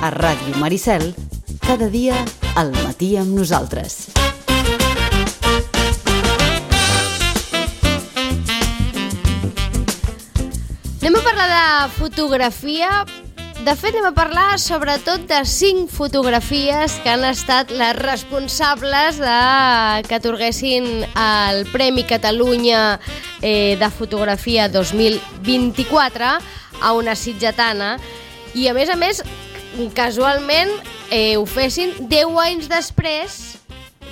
A Ràdio Maricel, cada dia al matí amb nosaltres. Anem a parlar de fotografia. De fet, anem a parlar sobretot de 5 fotografies que han estat les responsables que atorguessin el Premi Catalunya de Fotografia 2024 a una sitgetana. I a més, casualment ho fessin 10 anys després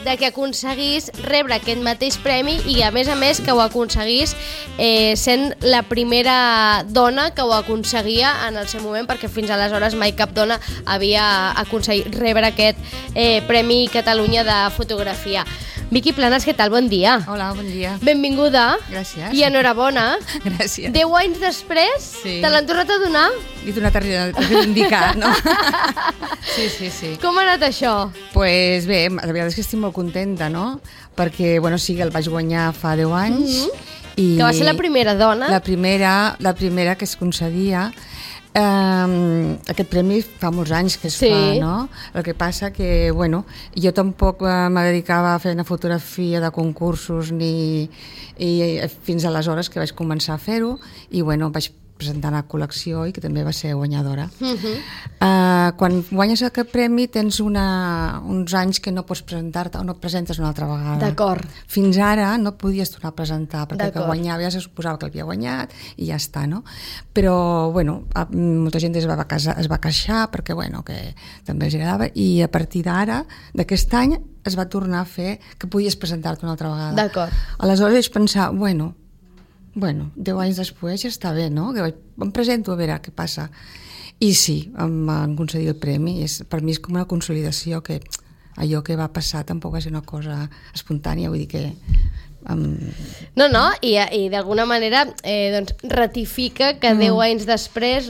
de que aconseguís rebre aquest mateix premi i a més que ho aconseguís sent la primera dona que ho aconseguia en el seu moment, perquè fins aleshores mai cap dona havia aconseguit rebre aquest Premi Catalunya de Fotografia. Vicky Planas, què tal? Bon dia. Hola, bon dia. Benvinguda. Gràcies. I enhorabona. Gràcies. 10 anys després, sí. Te l'han tornat a donar? Li he tornat a reivindicar, no? Sí. Com ha anat això? Pues bé, la veritat és que estic molt contenta, no? Perquè, sí, el vaig guanyar fa 10 anys. I que va ser la primera dona? La primera que es concedia. Aquest premi fa molts anys que es fa, no? El que passa que, jo tampoc me dedicava a fer una fotografia de concursos i fins aleshores que vaig començar a fer-ho i, vaig presentar una col·lecció i que també va ser guanyadora. Quan guanyes aquest premi tens uns anys que no pots presentar-te o no et presentes una altra vegada. D'acord. Fins ara no podies tornar a presentar perquè que guanyava ja se suposava que l'havia guanyat i ja està, no? Però, molta gent es va queixar perquè, que també els agradava i a partir d'ara, d'aquest any, es va tornar a fer que podies presentar-te una altra vegada. D'acord. Aleshores vaig pensar, 10 anys després ja està bé, no? Em presento a veure què passa. I sí, em van concedir el premi. Per mi és com una consolidació que allò que va passar tampoc va ser una cosa espontània, vull dir que... I d'alguna manera ratifica que 10 anys després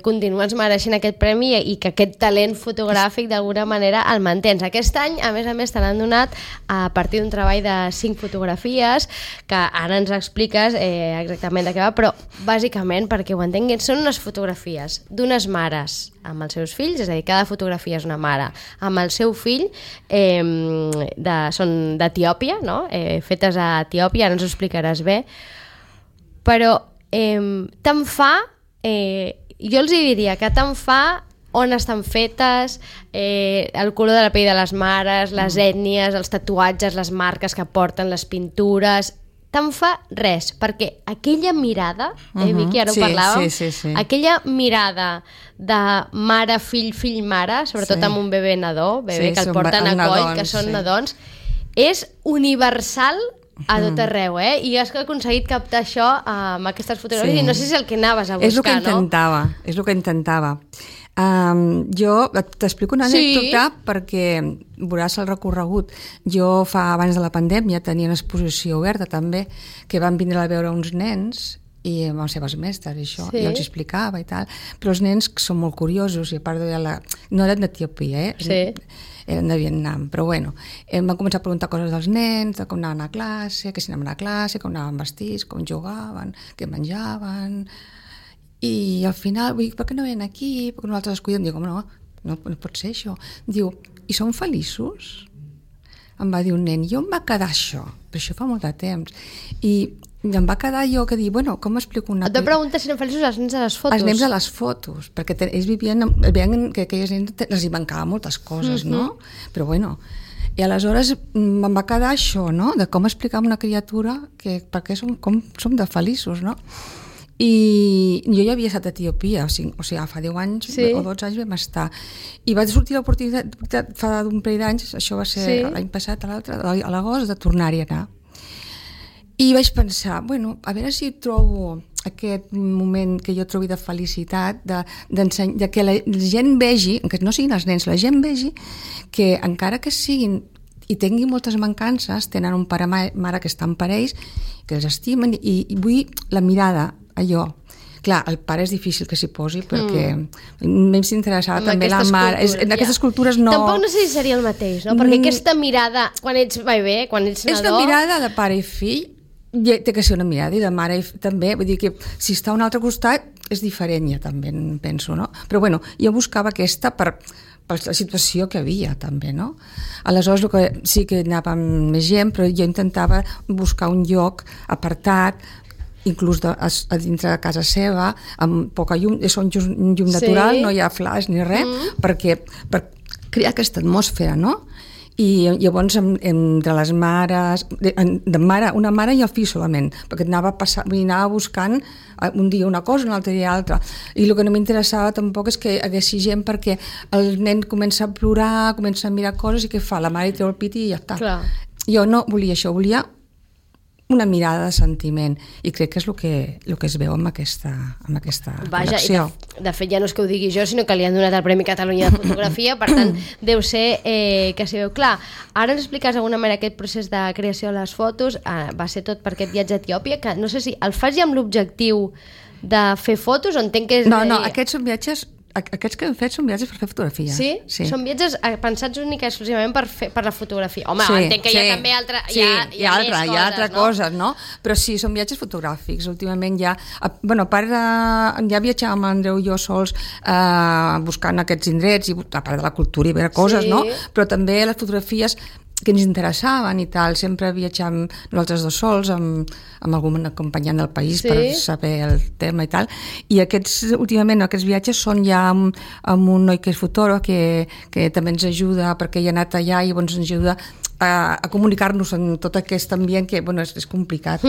continues mereixent aquest premi i que aquest talent fotogràfic d'alguna manera el mantens. Aquest any, a més te l'han donat a partir d'un treball de 5 fotografies que ara ens expliques exactament de què va, però bàsicament, perquè ho entenguin, són unes fotografies d'unes mares amb els seus fills, és a dir, cada fotografia és una mare amb el seu fill, són d'Etiòpia, no? Fetes a Etiòpia, ara ens ho explicaràs bé, però tant fa, jo els diria que tant fa on estan fetes, el color de la pell de les mares, les ètnies, els tatuatges, les marques que porten, les pintures, tant fa res, perquè aquella mirada, Vicky, ara ho parlàvem, sí. Aquella mirada de mare, fill, mare, sobretot amb un bebè nadó, que el porten a coll, que són nadons, és universal a tot arreu, I has aconseguit captar això amb aquestes fotografies i no sé si és el que anaves a buscar, és el que intentava. Jo t'explico una anècdota perquè veuràs el recorregut. Jo abans de la pandèmia tenia una exposició oberta també que van vindre a veure uns nens i amb les seves mestres i això, i els explicava i tal, però els nens són molt curiosos i a part no eren d'Etiòpia, eren de Vietnam, però em van començar a preguntar coses dels nens, de com anaven a classe, que si anaven a classe, com anaven vestits, com jugaven, què menjaven. I al final, per què no venen aquí? Perquè nosaltres els cuidem. Dic, no pot ser això. Diu, i són feliços? Em va dir un nen, jo em va quedar això, però això fa molt de temps. I em va quedar jo que dir, com explico una cosa? Et preguntes si eren feliços els nens a les fotos? Els nens a les fotos, perquè ells veien que aquelles nens els hi mancava moltes coses, no? Però i aleshores em va quedar això, no? De com explicar a una criatura perquè som de feliços, no? I jo ja havia estat a Etiòpia, o sigui, fa 10 anys o 12 anys vam estar. I va sortir l'oportunitat fa un parell d'anys, això va ser l'any passat, a l'agost, de tornar-hi a anar. I vaig pensar, a veure si trobo aquest moment que jo trobi de felicitat, de que la gent vegi, que no siguin els nens, la gent vegi que encara que siguin i tinguin moltes mancances, tenen un pare i mare que estan per ells, que els estimen, i vull la mirada, allò. Clar, el pare és difícil que s'hi posi perquè més s'interessava també la mare. En aquestes cultures no... Tampoc no sé si seria el mateix, no? Perquè aquesta mirada, quan ets bebè, quan ets nadó... És una mirada de pare i fill, té que ser una mirada, i de mare també. Vull dir que si està a un altre costat és diferent ja també, penso, no? Però bueno, jo buscava aquesta per la situació que havia també, no? Aleshores sí que anava amb més gent, però jo intentava buscar un lloc apartat, inclús a dintre de casa seva, amb poca llum, és un llum natural, no hi ha flaix ni res, per crear aquesta atmosfera, no? I llavors entre les mares, una mare i el fill solament, perquè anava buscant un dia una cosa, un altre dia altra, i el que no m'interessava tampoc és que haguessi gent, perquè el nen comença a plorar, comença a mirar coses, i què fa? La mare li treu el pit i ja està. Clar. Jo no volia això, volia una mirada de sentiment, i crec que és el que es veu amb aquesta col·lecció. De fet, ja no és que ho digui jo, sinó que li han donat el Premi Catalunya de Fotografia, per tant, deu ser que s'hi veu clar. Ara ens expliques d'alguna manera aquest procés de creació de les fotos, va ser tot per aquest viatge a Etiòpia, que no sé si el fas ja amb l'objectiu de fer fotos, o entenc que és... No, aquests són viatges... Aquests que hem fet són viatges per fer fotografia. Sí? Són viatges pensats únicament exclusivament per la fotografia. Home, entenc que hi ha també hi ha altres coses, no? Però sí, són viatges fotogràfics. Últimament ja... Bueno, a part ja viatjàvem amb l'Andreu i jo sols buscant aquests indrets, i a part de la cultura i veure coses, no? Però també les fotografies que ens interessaven i tal, sempre viatjàvem nosaltres dos sols amb algun acompanyant del país per saber el tema i tal, i últimament aquests viatges són ja amb un noi que és fotògraf que també ens ajuda, perquè ell ha anat allà i ens ajuda a comunicar-nos en tot aquest ambient que, bueno, és complicat.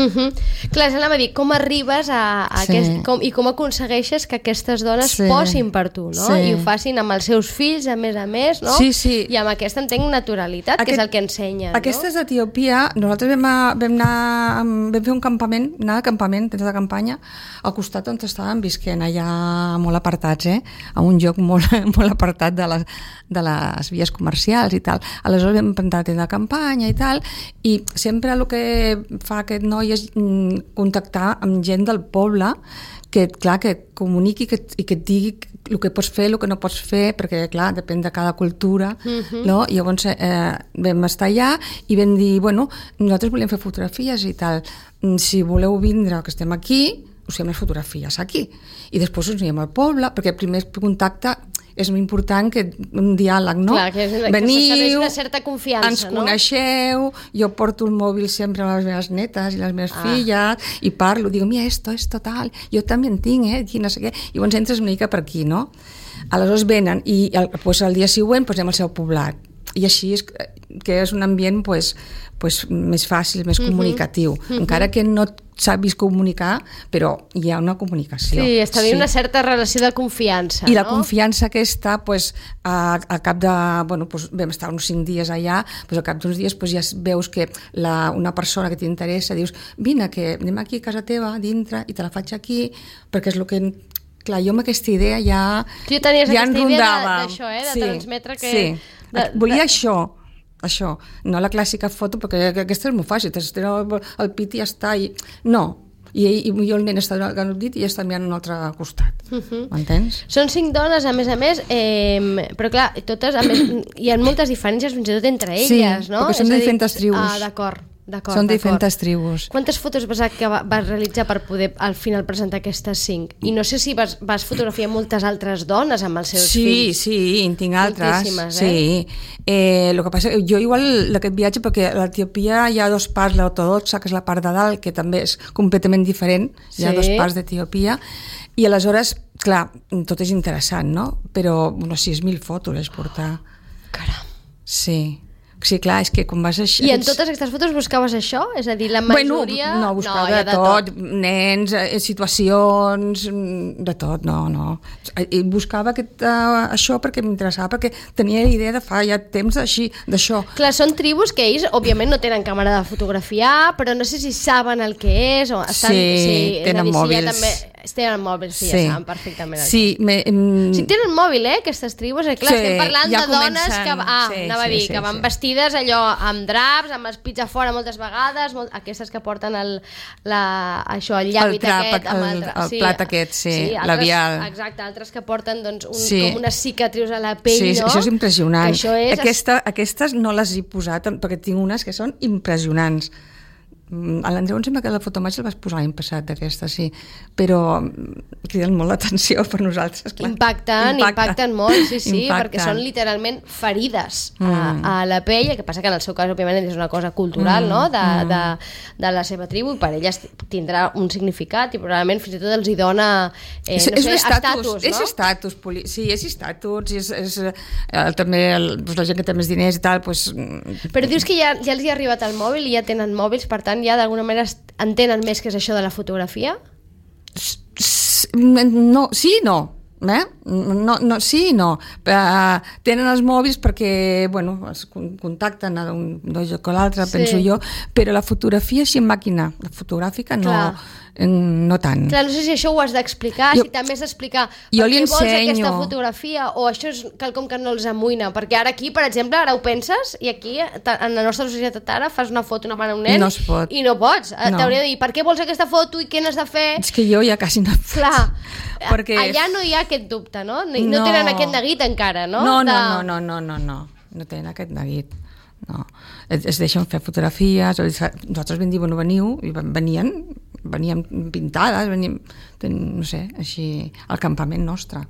Clar, anava a dir, com arribes i com aconsegueixes que aquestes dones posin per tu, no? I ho facin amb els seus fills, a més, no? Sí. I amb aquesta, entenc, naturalitat, que és el que ensenyen, no? Aquestes d'Etiòpia, nosaltres vam fer un campament, temps de campanya, al costat on estàvem visquent, allà molt apartats, a un lloc molt apartat de les vies comercials i tal. Aleshores vam plantar tenda de campanya i tal, i sempre el que fa aquest noi és contactar amb gent del poble que et comuniqui i que et digui el que pots fer, el que no pots fer, perquè clar, depèn de cada cultura, no? I llavors vam estar allà i vam dir, bueno, nosaltres volíem fer fotografies i tal, si voleu vindre, que estem aquí, us fem les fotografies aquí, i després ens anem al poble, perquè el primer contacte és molt important, que un diàleg, no? Clar, que s'estableix una certa confiança, ens coneixeu, jo porto el mòbil sempre a les meves netes i les meves filles, i parlo, digo, mira, esto tal, jo també en tinc, aquí no sé què, i llavors entres una mica per aquí, no? Aleshores venen, i el dia següent anem al seu poblat, i així és que és un ambient més fàcil, més comunicatiu, encara que no sàpis comunicar, però hi ha una comunicació. Sí, establir una certa relació de confiança, I la confiança aquesta, al cap de... Bueno, vam estar uns 5 dies allà, al cap d'uns dies ja veus que una persona que t'interessa, dius, vine, que anem aquí a casa teva, dintre, i te la faig aquí, perquè és el que... Clar, jo amb aquesta idea ja tu tenies ja aquesta idea d'això, de transmetre que... Sí, volia això, no la clàssica foto, perquè aquesta és molt fàcil, el pit i ja està, no, i jo el nen està donant el dit i ja està mirant a un altre costat, m'entens? Són 5 dones, a més, però clar, totes, a més, hi ha moltes diferències fins i tot entre elles, no? Sí, perquè són de diferents tribus. D'acord. Són diferents tribus. Quantes fotos vas realitzar per poder al final presentar aquestes 5? I no sé si vas fotografiar moltes altres dones amb els seus fills. Sí, en tinc altres. Moltíssimes, el que passa, jo igual aquest viatge, perquè a l'Etiòpia hi ha 2 parts, l'ortodoxa, que és la part de dalt, que també és completament diferent, hi ha 2 parts d'Etiòpia, i aleshores, clar, tot és interessant, no? Però unes 6.000 fotos és portar. Caram. Sí, clar, és que quan vas a... I en totes aquestes fotos buscaves això? És a dir, la majoria... Bueno, no, buscava de tot, nens, situacions, de tot, no. I buscava això perquè m'interessava, perquè tenia la idea de fa ja temps d'això. Clar, són tribus que ells, òbviament, no tenen càmera de fotografiar, però no sé si saben el que és, o estan... Sí, tenen mòbils. Tenen mòbils, ja saben perfectament. Sí, si tenen mòbil, aquestes tribus, clar, estem parlant de dones que van vestides allò amb draps, amb els pits a fora moltes vegades, aquestes que porten el llavi aquest, el plat aquest, labial. Exacte, altres que porten com unes cicatrius a la pell, no? Sí, això és impressionant. Aquestes no les he posat, perquè tinc unes que són impressionants. A l'Andreu em sembla que la fotomàgia el vas posar l'any passat, d'aquesta, sí, però criden molt l'atenció per nosaltres, clar. Impacten molt, sí, perquè són literalment ferides a la pell, el que passa que en el seu cas, òbviament, és una cosa cultural, no?, de la seva tribu, i per elles tindrà un significat i probablement fins i tot els hi dona, estatus, no? És estatus, sí, és estatus, és també la gent que té més diners i tal, doncs... Però dius que ja els hi ha arribat el mòbil i ja tenen mòbils, per tant, ja d'alguna manera entenen més què és això de la fotografia? No, sí i no. No, sí i no. Tenen els mòbils perquè, bueno, es contacten d'un lloc a l'altre, penso jo, però la fotografia sí en màquina, la fotogràfica no tant. Clar, no sé si això ho has d'explicar, si també has d'explicar per què vols aquesta fotografia, o això és quelcom que no els amoïna, perquè ara aquí, per exemple, ara ho penses, i aquí, en la nostra societat ara, fas una foto una mare a un nen i no pots. T'hauria de dir, per què vols aquesta foto i què n'has de fer? És que jo ja quasi no faig. Clar, allà no hi ha aquest dubte, no? No tenen aquest neguit encara, no? No tenen aquest neguit. No, es deixen fer fotografies, nosaltres vam dir, bueno, veniu, i venien pintades, no sé, així, al campament nostre.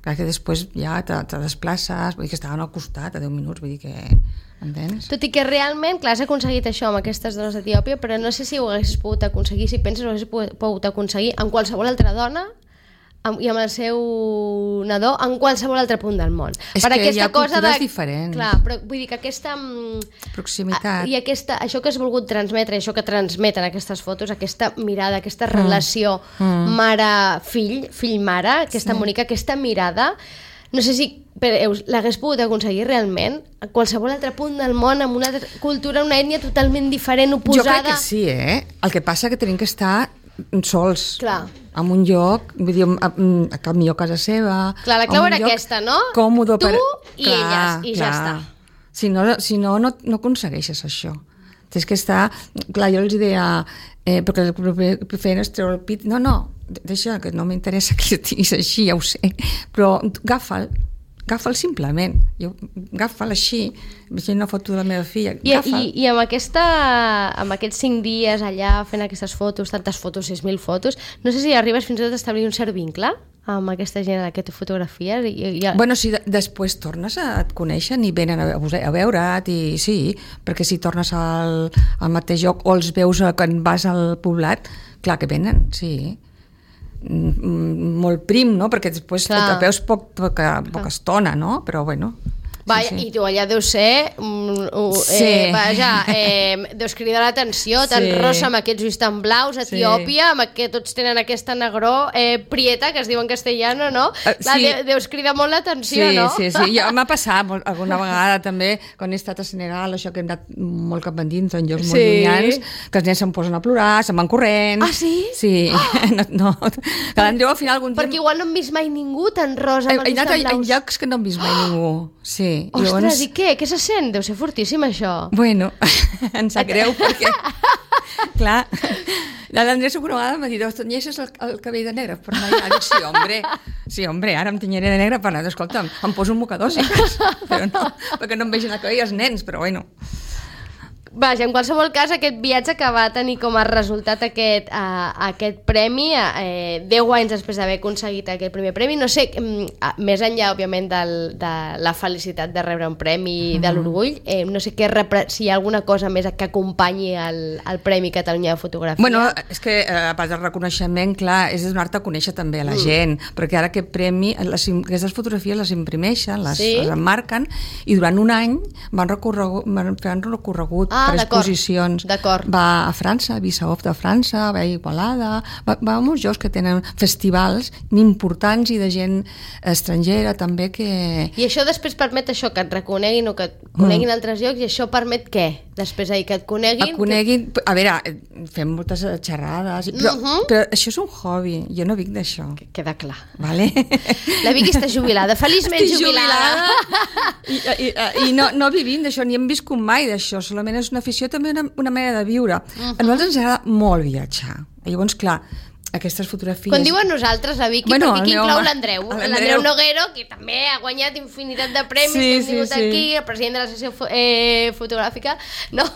Clar que després ja te desplaces, vull dir que estaven al costat a 10 minuts, vull dir que... Entens? Tot i que realment, clar, has aconseguit això amb aquestes dones d'Etiòpia, però no sé si ho haguessis pogut aconseguir, si penses ho haguessis pogut aconseguir amb qualsevol altra dona i amb el seu nadó en qualsevol altre punt del món. És que hi ha cultures diferents. Clar, però vull dir que aquesta... proximitat. I això que has volgut transmetre, això que transmeten aquestes fotos, aquesta mirada, aquesta relació mare-fill, fill-mare, aquesta bonica, aquesta mirada, no sé si l'hagués pogut aconseguir realment a qualsevol altre punt del món, amb una cultura, una ètnia totalment diferent, oposada... Jo crec que sí, El que passa que tenim que estar sols. Clar. En un lloc, vull dir, millor a casa seva. Clar, la clau era aquesta, no? Còmode tu i elles, i ja està. Si no aconsegueixes això. Tens que estar... Clar, jo els deia, perquè el que feien és treure el pit. No, deixa, que no m'interessa que estiguis així, ja ho sé. Però agafa'l simplement. Agafa'l així. Vaig una foto de la meva filla. I amb aquests 5 dies allà fent aquestes fotos, tantes fotos, 6.000 fotos, no sé si arribes fins i tot a establir un cert vincle amb aquesta gent a la que tu fotografies. Bueno, si després tornes a et coneixen i venen a veure't, i sí, perquè si tornes al mateix lloc o els veus quan vas al poblat, clar que venen, sí. Molt prim, no? Perquè després et veus poca estona, no? Però bueno... Vaja, i tu allà deus ser deus cridar l'atenció, tan rosa amb aquests ulls tan blaus, Etiòpia, amb que tots tenen aquesta negró prieta, que es diu en castellano, no? Deus cridar molt l'atenció, no? Sí, m'ha passat alguna vegada també, quan he estat a Senegal, això que hem anat molt cap endins, en llocs molt llunyans, que els nens se'm posen a plorar, se'n van corrents. Ah, sí? Sí, no. Que l'Andreu al final algun temps... Perquè igual no hem vist mai ningú tan rosa amb els ulls tan blaus. En llocs que no hem vist mai ningú, sí. Ostres, i què? Què se sent? Deu ser fortíssim, això. Bueno, em sap greu, perquè, clar, l'Andrés una vegada m'ha dit, tenyeixes el cabell de negre per anar allà. Dic, sí, hombre, ara em tenyeré de negre per anar. Escolta'm, em poso un mocador, sí, però no, perquè no em vegin el cabell els nens, però bueno... Vaja, en qualsevol cas, aquest viatge que va tenir com a resultat aquest premi, 10 anys després d'haver aconseguit aquest primer premi, no sé, més enllà, òbviament, de la felicitat de rebre un premi, de l'orgull, no sé si hi ha alguna cosa més que acompanyi el Premi Catalunya de Fotografia. Bueno, és que, a part del reconeixement, clar, és donar-te a conèixer també a la gent, perquè ara aquest premi, aquestes fotografies les imprimeixen, les emmarquen, i durant un any van fer un recorregut per exposicions. Va a França, a Vissaoff de França, va a Igualada, va a molts llocs que tenen festivals importants i de gent estrangera també que... I això després permet això, que et reconeguin o que et coneguin altres llocs, i això permet què? Després que et coneguin... A veure, fem moltes xerrades, però això és un hobby, jo no vic d'això. Queda clar. Vale? La Vicky està jubilada, feliçment jubilada. I no vivim d'això, ni hem viscut mai d'això, solament és una afició, també una manera de viure. A nosaltres ens agrada molt viatjar. Llavors, clar, aquestes fotografies... Quan diuen nosaltres, la Vicky, Bueno, perquè aquí home, inclou l'Andreu Noguero, que també ha guanyat infinitat de premis, que hem tingut aquí, el president de la secció fotogràfica, no?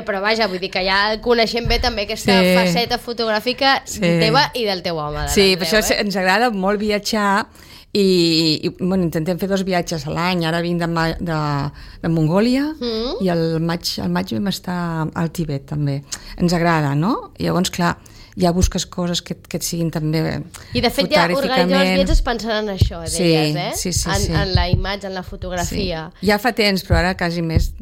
Però vaja, vull dir que ja el coneixem bé també aquesta faceta fotogràfica teva i del teu home. Sí, per això ens agrada molt viatjar i bueno, intentem fer 2 viatges a l'any. Ara vinc de Mongòlia i al maig vam estar al Tibet també. Ens agrada, no? I llavors, clar, ja busques coses que et siguin també i de fet ja organitzar els viatges pensant en això, deies, sí. En la imatge, en la fotografia. Sí. Ja fa temps, però ara quasi més.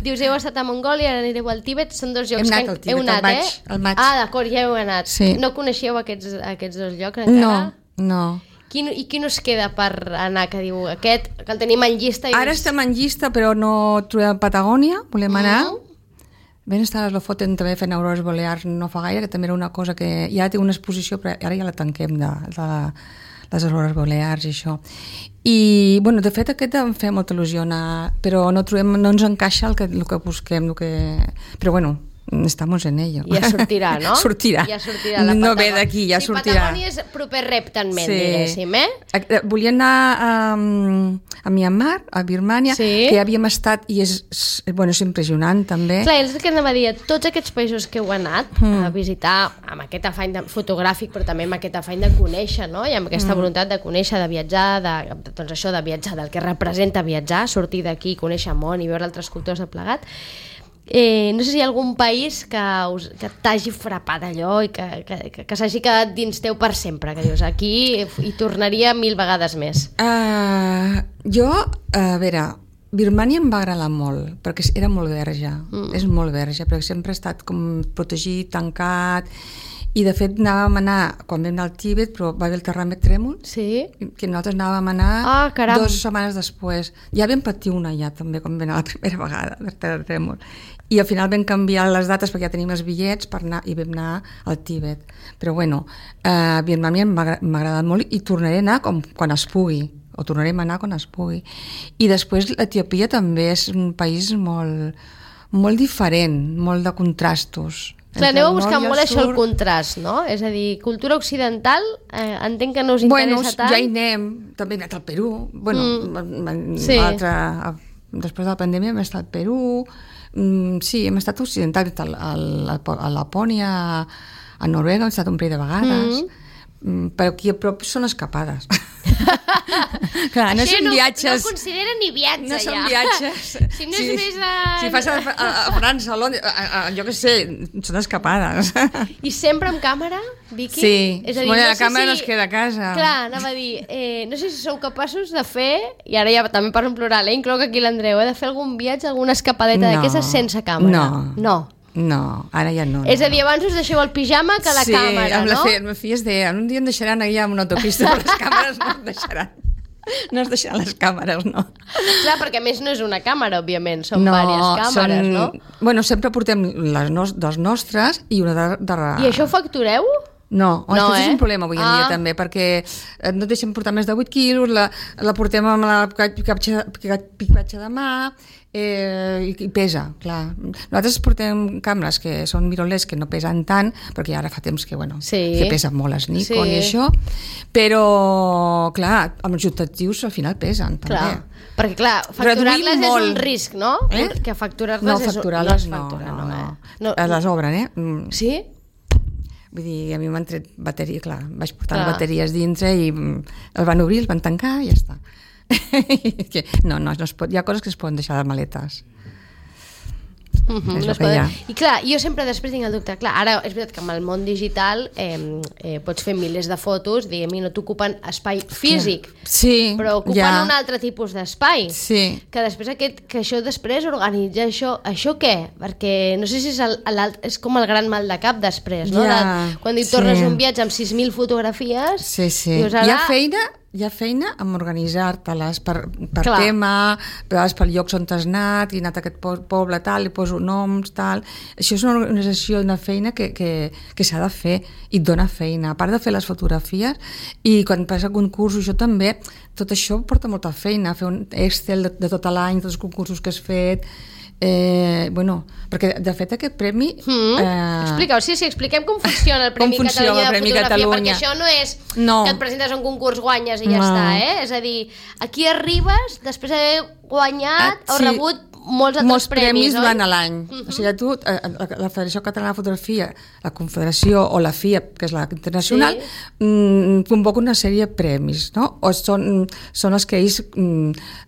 Dius, heu estat a Mongòlia, ara anireu al Tibet, són 2 llocs hem anat al Tibet, al maig. Ah, d'acord, ja heu anat. Sí. No coneixeu aquests 2 llocs encara? No. I quin us queda per anar, que diu aquest, que el tenim en llista? Ara estem en llista, però no trobem Patagònia, volem anar. Ben estar a Lofoten també fent aurores boreals no fa gaire, que també era una cosa que ja té una exposició, però ara ja la tanquem de les aurores boreals i això. I, bueno, de fet aquest em feia molta il·lusió anar, però no ens encaixa el que busquem, però bueno, estamos en ello. Ja sortirà, no? Sortirà. Ja sortirà la Patagònia. No ve d'aquí, ja sortirà. Patagònia és proper reptament, diguéssim, Volia anar a Myanmar, a Birmània, que ja havíem estat i és impressionant també. Clar, és el que anava a dir, tots aquests països que heu anat a visitar amb aquest afany fotogràfic, però també amb aquest afany de conèixer, no? I amb aquesta voluntat de conèixer, de viatjar, doncs això de viatjar, del que representa viatjar, sortir d'aquí, conèixer el món i veure altres cultures de plegat. No sé si hi ha algun país que t'hagi frapat allò i que s'hagi quedat dins teu per sempre, que dius, aquí hi tornaria 1000 vegades més. Jo, a veure, Birmània em va agradar molt, perquè era molt verge, és molt verge, perquè sempre ha estat com protegit, tancat, i de fet anàvem a anar, quan vam anar al Tibet, però va haver el terratrèmol, que nosaltres anàvem a anar 2 setmanes després. Ja vam patir una ja també, quan vam anar la primera vegada del terratrèmol. I al final vam canviar les dates perquè ja tenim els bitllets per anar, i vam anar al Tibet. Però bueno, Birmània m'ha agradat molt i tornaré a anar quan es pugui, o tornarem a anar quan es pugui. I després Etiòpia també és un país molt diferent, molt de contrastos. Clar, aneu a buscar molt això, el contrast, no? És a dir, cultura occidental, entenc que no us interessa tant. Ja hi anem, també hem anat al Perú. Després de la pandèmia hem estat al Perú, sí, hem estat occidental, a Lapònia, a Noruega hem estat un parell de vegades, però aquí a prop són escapades. Clar, no són viatges. No considera ni viatge, no són viatges. Si no és més si fas a França, a Londres, jo què sé, són escapades. I sempre amb càmera, Vicky? Sí, és a dir, la càmera no es queda a casa. Clar, anava a dir, no sé si sou capaços de fer, i ara ja també parlo en plural, incloc aquí l'Andreu, de fer algun viatge, alguna escapadeta d'aquestes sense càmera. No, ara ja no. És a dir, abans us deixeu el pijama que la càmera, no? Sí, amb les filles deien, un dia em deixaran allà amb una autopista, però les càmeres no es deixaran. No es deixaran les càmeres, no. Clar, perquè a més no és una càmera, òbviament, són diverses càmeres, no? Bueno, sempre portem les nostres i una de... I això ho factureu? No, és un problema avui en dia també, perquè no et deixem portar més de 8 quilos, la portem amb la picatge de mà i pesa, clar. Nosaltres portem càmeres que són mirrorless, que no pesen tant, perquè ara fa temps que pesen molt les Nikon i això, però clar, amb els objectius al final pesen també. Perquè clar, facturar-les és un risc, no? Que facturar-les no, facturar-les no. Les obren, Sí? Vull dir, a mi m'han tret bateria, clar, vaig portar bateries dintre i el van obrir, el van tancar i ja està. No es pot, hi ha coses que es poden deixar de maletes. I clar, jo sempre després tinc el dubte, clar, ara és veritat que amb el món digital pots fer milers de fotos, diguem, i no t'ocupen espai físic, però ocupen un altre tipus d'espai, que després que això després organitza això què? Perquè no sé si és com el gran mal de cap després, no? Quan hi tornes un viatge amb 6.000 fotografies, hi ha feina amb organitzar-te-les per tema, per llocs on t'has anat, i he anat a aquest poble tal, li poso noms, tal. Això és una organització, una feina que s'ha de fer i et dona feina. A part de fer les fotografies, i quan vas a concursos, això també, tot això porta molta feina, fer un Excel de tot l'any, tots els concursos que has fet, Bueno, perquè de fet aquest premi... Explica-ho, sí, expliquem com funciona el Premi Catalunya de Fotografia, perquè això no és que et presentes a un concurs, guanyes i ja està, És a dir, aquí arribes després d'haver guanyat o rebut molts premis durant l'any. O sigui, tu, la Federació Catalana de Fotografia, la Confederació o la FIAP, que és la internacional, convoca una sèrie de premis, no? O són els que ells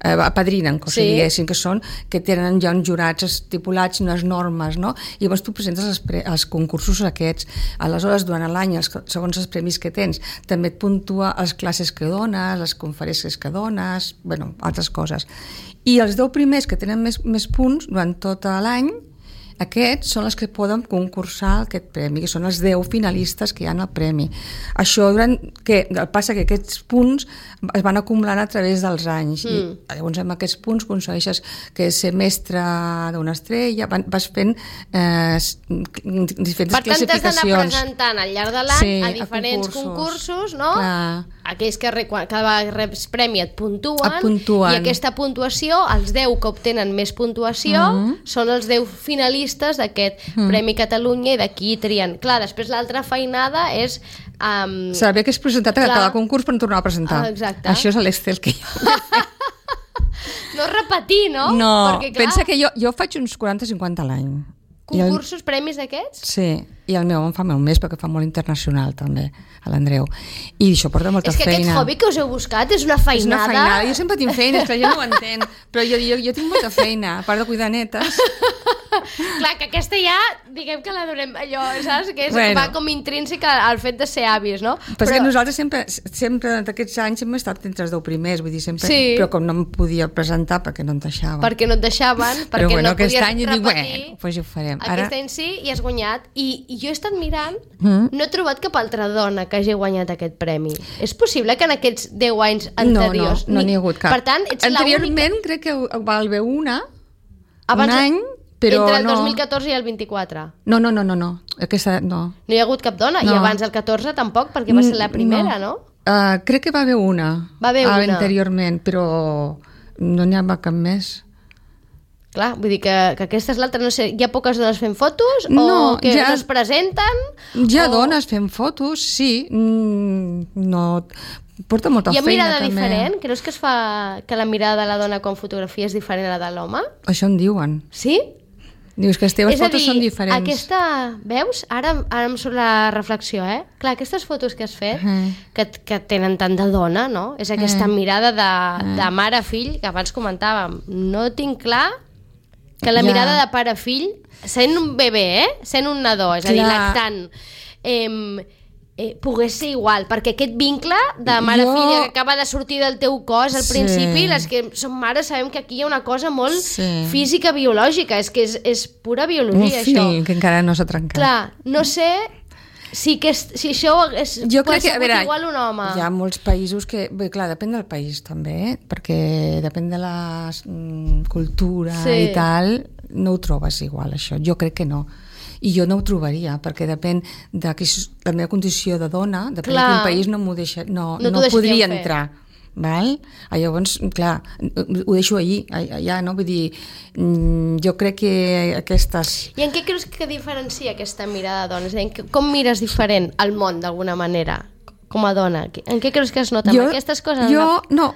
apadrinen, que diguessin, que tenen ja uns jurats estipulats, unes normes, no? I llavors tu presentes els concursos aquests. Aleshores, durant l'any, segons els premis que tens, també et puntua les classes que dones, les conferències que dones, bueno, altres coses. I els 10 primers que tenen més punts durant tot l'any, aquests són els que poden concursar aquest premi, que són els 10 finalistes que hi ha al premi. Això passa que aquests punts es van acumulant a través dels anys. I llavors amb aquests punts aconsegueixes que ser mestre d'una estrella, vas fent diferents classificacions. Per tant, t'has d'anar presentant al llarg de l'any a diferents concursos, no? Aquells que cada reps premi et puntuen, i aquesta puntuació, els 10 que obtenen més puntuació, són els 10 finalistes d'aquest Premi Catalunya, i d'aquí trien. Clar, després l'altra feinada és... Saber que és presentat a cada concurs per tornar a presentar. Exacte. Això és l'Excel que jo... No repetir, no? No, pensa que jo faig uns 40-50 a l'any. Concursos, premis d'aquests? Sí, i el meu em fa molt més perquè fa molt internacional també, a l'Andreu. I això porta molta feina. És que aquest hobby que us heu buscat és una feinada. És una feinada, jo sempre tinc feines, que la gent no ho entén, però jo tinc molta feina, a part de cuidar netes. Clar, que aquesta ja, diguem que la donem allò, saps? Que va com intrínseca al fet de ser avis, no? Però és que nosaltres sempre d'aquests anys hem estat entre els 10 primers, vull dir, sempre, però com no em podia presentar perquè no em deixaven. Perquè no et deixaven, perquè no podies repetir. Doncs ho farem. Aquest any sí, i has guanyat. I jo he estat mirant, no he trobat cap altra dona que hagi guanyat aquest premi. És possible que en aquests 10 anys anteriors... No n'hi ha hagut cap. Per tant, ets anteriorment crec que va haver un any, però entre el 2014 i el 24. No. Aquesta, no. No hi ha hagut cap dona, i abans el 14 tampoc, perquè va ser la primera, no? Crec que va haver una. Va haver una. Anteriorment, però no n'hi ha cap més. Clar, vull dir que aquesta és l'altra, no sé, hi ha poques dones fent fotos o que no es presenten? Hi ha dones fent fotos, sí, no... Porta molta feina, també. Hi ha mirada diferent? Creus que que la mirada de la dona quan fotografia és diferent a la de l'home? Això en diuen. Sí? Dius que les teves fotos són diferents. Aquesta, veus? Ara em surt la reflexió, Clar, aquestes fotos que has fet, que tenen tant de dona, no? És aquesta mirada de mare-fill, que abans comentàvem. No tinc clar que la mirada de pare-fill, sent un bebè, sent un nadó, és a dir, lactant, pogués ser igual, perquè aquest vincle de mare-filla que acaba de sortir del teu cos al principi, les que som mares sabem que aquí hi ha una cosa molt física, biològica, és que és pura biologia, això. Un fil que encara no s'ha trencat. Clar, no sé si això pot ser igual un home. Hi ha molts països que... Bé, clar, depèn del país també, perquè depèn de la cultura i tal, no ho trobes igual, això. Jo crec que no. I jo no ho trobaria, perquè depèn de la meva condició de dona, depèn de quin país no m'ho deixa... No podria entrar. Val? Llavors, clar, ho deixo allà, no? Vull dir, jo crec que aquestes... I en què creus que diferencia aquesta mirada de dones? Com mires diferent al món, d'alguna manera, com a dona? En què creus que es nota? Aquestes coses? No,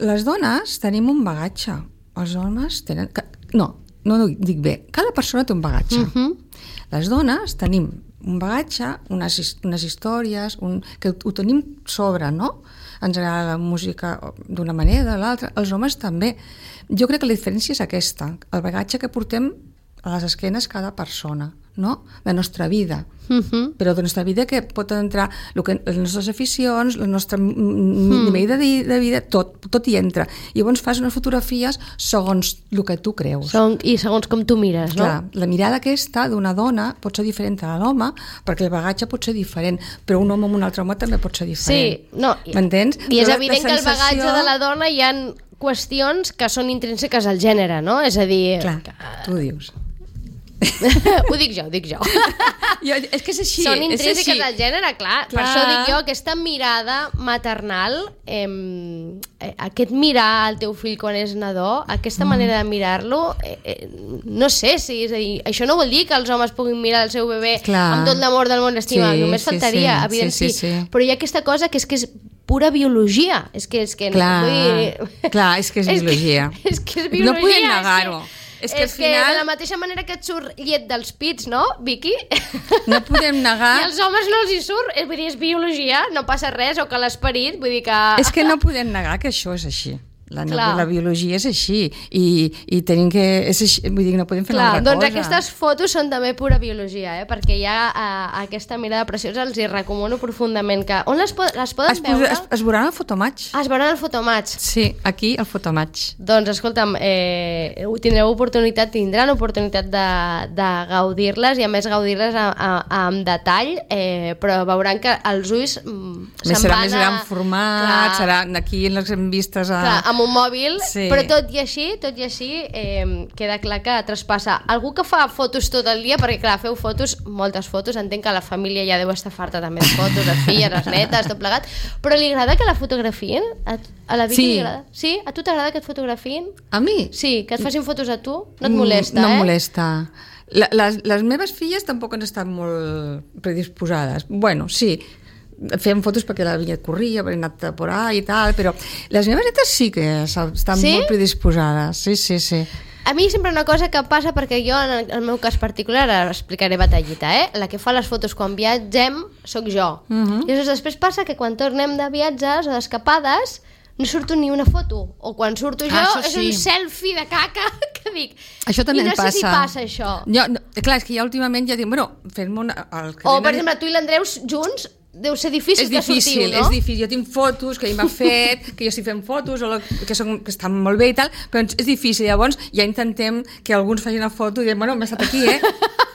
les dones tenim un bagatge. Els homes tenen... No dic bé. Cada persona té un bagatge. Les dones tenim un bagatge, unes històries, que ho tenim sobre, no? Ens agrada la música d'una manera o de l'altra. Els homes també. Jo crec que la diferència és aquesta, el bagatge que portem a les esquenes cada persona, no? La nostra vida. Però la nostra vida que pot entrar les nostres aficions, el nostre nivell de vida, tot hi entra. I llavors fas unes fotografies segons el que tu creus. I segons com tu mires, no? Clar, la mirada aquesta d'una dona pot ser diferent a l'home, perquè el bagatge pot ser diferent, però un home amb un altre home també pot ser diferent. Sí, no. M'entens? I és evident que el bagatge de la dona hi ha qüestions que són intrínseques al gènere, no? És a dir... Clar, tu ho dius. Ho dic jo. És que és així. Són intrínseques és així. al gènere, clar. Per això dic jo, aquesta mirada maternal, aquest mirar al teu fill quan és nadó, aquesta manera de mirar-lo, no sé si... És a dir, això no vol dir que els homes puguin mirar el seu bebè amb tot l'amor del món, l'estima. Només faltaria, evident sí. Però hi ha aquesta cosa que és pura biologia. És que clar, és que és biologia. És que és biologia. No podem negar-ho. És que al final... de la mateixa manera que et surt llet dels pits, no, Vicky? No podem negar... I als homes no els hi surt, vull dir, és biologia, no passa res, o que l'esperit, vull dir que... És que no podem negar que això és així. La biologia és així i tenim que... És així, vull dir, no podem fer una altra doncs cosa. aquestes fotos són també pura biologia, perquè hi ha aquesta mirada preciosa, els hi recomano profundament que... On les poden veure? Es veuran al Fotomatch. Es veuran al Fotomatch. Sí, aquí al Fotomatch. Doncs escolta'm, tindran oportunitat de gaudir-les i a més gaudir-les amb detall, però veuran que els ulls serà més gran format, serà aquí les hem vistes amb un mòbil, però tot i així queda clar que traspassa. Algú que fa fotos tot el dia, perquè clar, feu fotos, moltes fotos, entenc que la família ja deu estar farta també de fotos, les filles, les netes, tot plegat, però li agrada que la fotografien? A la Vicky li agrada? Sí? A tu t'agrada que et fotografien? A mi? Sí, que et facin fotos a tu? No et molesta, No em molesta. Les meves filles tampoc han estat molt predisposades. Bueno, sí, fem fotos perquè la vinya corria, perquè he anat a por ahí i tal, però les meves netes sí que estan molt predisposades. Sí. A mi sempre una cosa que passa, perquè jo en el meu cas particular, ara explicaré batallita, la que fa les fotos quan viatgem sóc jo. I després passa que quan tornem de viatges o d'escapades no surto ni una foto, o quan surto jo és un selfie de caca que dic, això també i no passa. sé si passa això. Clar, és que ja últimament ja dic, fem-me una... O per exemple, tu i l'Andreu junts deu ser difícil que sortiu, no? És difícil, jo tinc fotos que ell m'ha fet, que jo estic fent fotos que estan molt bé i tal, però és difícil, llavors ja intentem que alguns facin una foto i diem, bueno, hem estat aquí,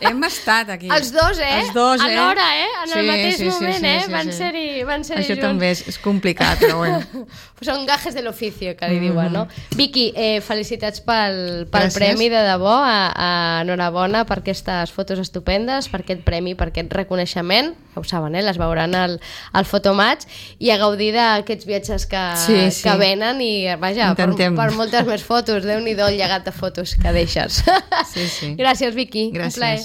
hem estat aquí. Els dos, alhora, en el mateix moment, van ser-hi junts. Això també és complicat, però bueno. Són gajes de l'oficio, que li diuen, no? Vicky, felicitats pel premi, de debò, enhorabona per aquestes fotos estupendes, per aquest premi, per aquest reconeixement, ja ho saben, les veuran al Fotomatch, i a gaudir d'aquests viatges que venen i, vaja, per moltes més fotos. Déu-n'hi-do el llegat de fotos que deixes. Gràcies, Vicky. Gràcies. Un plaer.